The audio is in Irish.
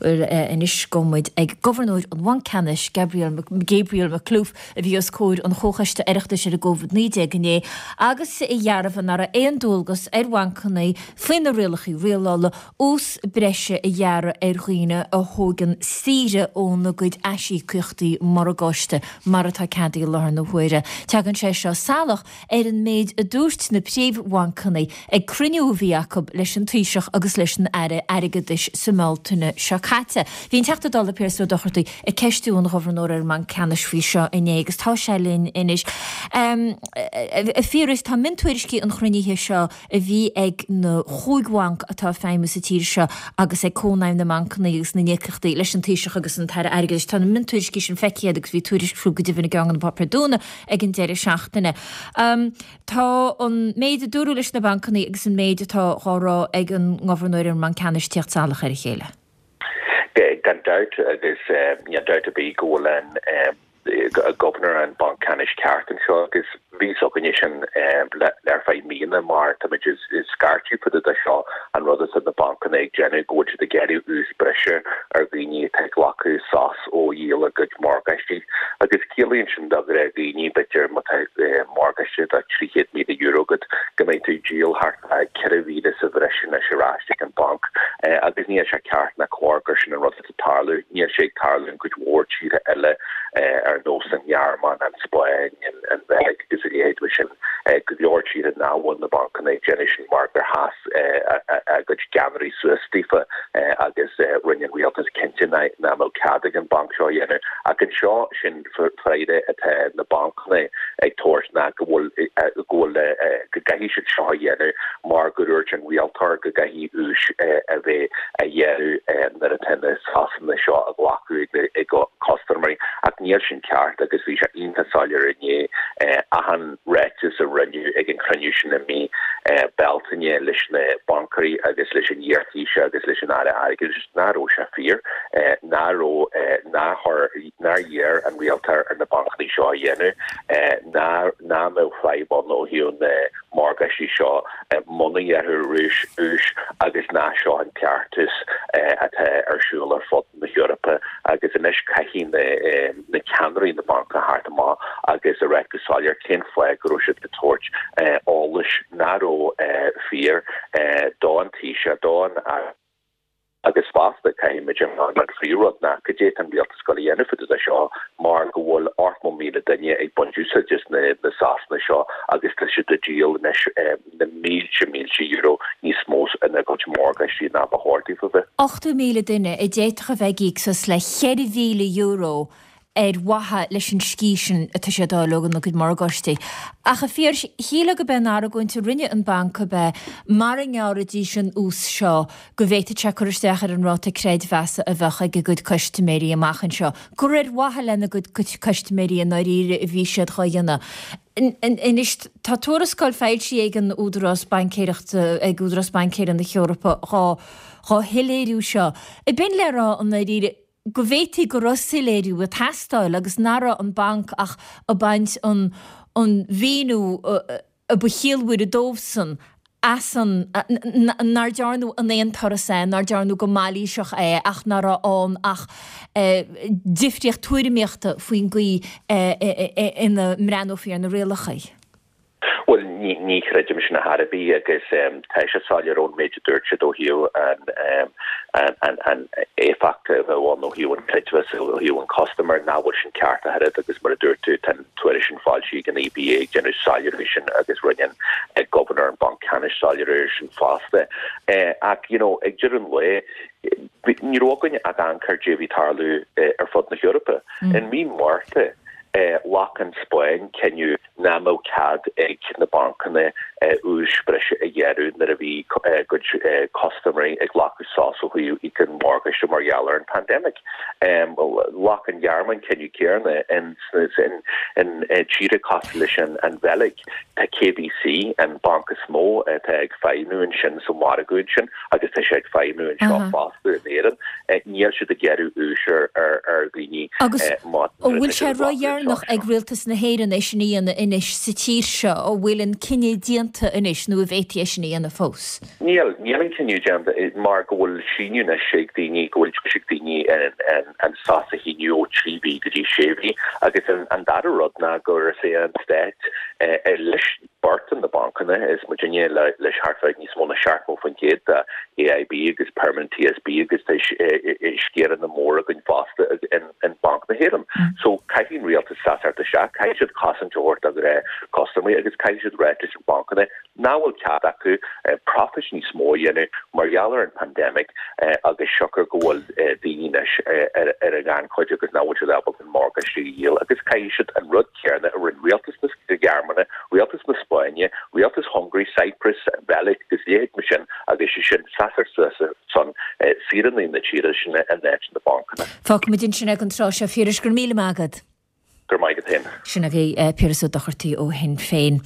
Bhuel, anois gabhfaidh muid ag Gobharnóir an Bhainc Ceannais, Gabriel Gabriel Makhlouf, a bhí os comhair an Chomhchoiste Oireachtais ar an gCovid-19 inné agus a dhearbhaigh nach raibh aon dualgas ar bhancanna faoi na rialacha rialála ús breise a ghearradh ar dhaoine a thógann saoire óna gcuid aisíocaíochtaí morgáiste mar atá ceadaithe i láthair na huaire. Tagann sé seo salach ar an méid a dúirt na príomhbhancanna ag cruinniú a bhí acu leis an Taoiseach agus leis an Aire Airgeadais sa mBealtaine seo caite. Bhí an Teachta Dála Pearse Ó Dochartaigh ag ceistiú an Ghobharnóra ar an mBanc Ceannais faoi seo inné agus tá sé linn anois. A Phiarais, tá miontuairiscí an chruinnithe seo a bhí ag na chúig bhanc atá ag feidhmiú sa tír seo agus ag Cónaidhm na mBancanna agus na nÍocaíochtaí leis an Taoiseach agus an tAire Airgeadais. Tá na miontuairiscí sin feicthe agat agus bhí tuairisc fúthu go deimhin i gceann de na páipéir dúnadh ag an deireadh seachtaine. Tá an méid a dúradh leis na bancanna agus an méid atá dhá rá ag an nGobharnóir ar an mBanc Ceannais ag tíocht salach ar a chéile. Gan dabht agus níl dabht ar bith go bhfuil an Gobharnóir an Bhanc Ceannais ceart anseo agus bhí fhios againne sin le ar feadh míonna mar táimid ag scairteadh fá dtaobh de seo an rud atá na bancanna ag déanamh go bhfuil siad ag gearradh ús breise ar dhaoine atá ag glacadh sos ó dhíol a gcuid morgáistí agus ciallaíonn sin do ghnáthdhaoine b'fhéidir má tá morgáiste de €300,000 agat go mbeidh tú ag díol thart fá 4,000 sa bhreis anois ar ais ag an banc agus níl sé ceart ná cóir gur sin an rud atá ag tarlú. Níl sé ag tarlú in cuid mhór tíortha eile ar nós an Ghearmáin, an Spáinn, an Bheilg agus a leithéid mar sin. Go leor tíortha nach bhfuil na bancanna ag déanamh sin mar gur sheas a gcuid ceannairí suas daofa agus rinne an rialtas cinnte nach mbeadh cead ag an banc seo a dhéanamh. Ach anseo sin freagra atá na bancanna ag tabhairt ná go bhfuil go bhfuil go gcaithfidh siad seo a dhéanamh mar go dúirt an rialtóir go gcaithfidh ús a bheith á ghearradh nuair atá na sosanna seo á nglacadh ag custaiméirí ach níl sin ceart agus bhí sé iontach soiléir inné achan ráiteas a rinneadh ag an chruinniú sin i mí Bealtaine leis na baincéirí agus leis an iarThaoiseach agus leis an Aire Airgeadais nach raibh sé fíor, nach raibh, nár chuir, nár iarr an rialtóir ar na bancanna seo a dhéanamh, nach mbeadh fadhb ann ó thaobh na morgáistí seo muna ngearrfar ús agus nach seo an cleachtas atá ar siúl ar fud na hEorpa agus anois caithfidh na ceannairí na mbanc a theacht amach agus a rá go soiléir cén fáth go raibh siad ag tabhairt eolais nach raibh fíor don Taoiseach, don Aire. Agus fosta, caithfimid a rá an phríomhrud ná cad é atá an rialtas ag dul a dhéanamh fá dtaobh de seo mar go bhfuil 80,000 duine ag baint úsáid as na sosanna seo agus tá siad ag díol anois na mílte mílte euro níos mó ina gcuid morgáistí ná ba chóir daofa bheith. 80,000 duine a d'fhéadfadh a bheith ag íoc suas le €4,000 ar mhaithe leis an scíth sin atá siad a fháil óna gcuid morgáistí. Ach a Phiarais, shílfeá gurb é an argóint a rinne an banc ab ea mara ngearrfaidís an ús seo go bhféadfadh sé cur isteach ar an ráta creidmheasa a bheadh ag a gcuid custaiméirí amach anseo, gur ar mhaithe lena gcuid custaiméirí i ndáiríre a bhí siad dhá dhéanamh. Anois, tá tuarascáil foilsithe ag an Údarás Baincéireachta, ag Údarás Baincéireachta na hEorpa dhá dhá shoiléiriú seo. Ab in le rá i ndáiríre, go bhféadfaí go raibh soiléiriú ag teastáil agus nach raibh an banc ach ag baint an an mhíniú a ba chiallmhaire dóibhsan as an nár dearnadh in aon turas é, nár dearnadh go mailíseach é ach nach raibh ann ach difríocht tuairimíochta faoin gcaoi ina mbreathnófaí ar na rialacha. Bhuel, ní chreidim sin ar chor ar bith agus tá sé soiléir ón méid a dúirt siad ó thaobh an éifeacht a bheadh ann ó thaobh an creidmheas ó thaobh an custaiméir nach bhfuil sin ceart ach oiread agus mar a dúirt tú tá an tuairisc sin foilsithe ag an EBA ag déanamh soiléiriú sin agus rinne an Gobharnóir an Banc Ceannais soiléiriú air sin fosta. Ach you know ag deireadh an lae ní raibh againn ach amharc ar cad é a bhí ag tarlú ar fud na hEorpa. In mí Márta ghlac an Spáinn cinneadh nach mbeadh cead ag na bancanna ús breise a ghearradh nuair a bhí a gcuid custaiméirí ag glacadh sos ó thaobh íoc an mhorgáiste mar gheall ar an pandemic. Ghlac an Ghearmáin cinneadh céanna in tíortha cosúil leis an Bheilg. Tá KBC, an banc is mó atá ag feidhmiú ansin sa mhargadh ansin agus tá sé ag feidhmiú anseo fosta in Éirinn, níl siad ag gearradh úis ar dhaoine Agus an bhfuil sé ródheireanach ag Rialtas na hÉireann é sin a dhéanamh anois? anois sa tír seo? An bhfuil an cinneadh déanta anois nó an bhféadfaí é sin a dhéanamh fós? Níl, níl an cinneadh déanta mar go bhfuil síneadh anois ag daoine, go bhfuil deis ag daoine an sos a shíneadh ó 3 mhí go dtí 6 mhí agus an dara rud ná gur is é an stát leis beartanna na bancanna, is muidinne leis thart fá níos mó ná 70% de AIB agus Permanent TSB agus tá sciaranna móra againn fosta in Banc na hÉireann. So caithfidh an rialtas seasamh isteach, caithfidh siad cosaint a thabhairt do custaiméirí agus caithfidh siad ráit leis na bancanna nach bhfuil cead acu profit níos mó a dhéanamh mar gheall ar an pandemic agus siocair go bhfuil daoine anois ar an ghannchuid agus nach bhfuil siad ábalta an morgáiste a dhíol agus caithfidh siad an rud céanna a rinne rialtas na Gearmáine, rialtas na Spáinne, rialtas Hungary, Cyprus, an Bheilg agus leithéid mar sin agus sé sin seasamh suas ar son saoránaigh na tíre sin in áit na bancanna. Fágfaimid ansin é don tráth seo, a Phiarais, go raibh míle maith agat. Go raibh maith agat féin. Sin agaibh Piaras Ó Dochartaigh ó Shinn Féin.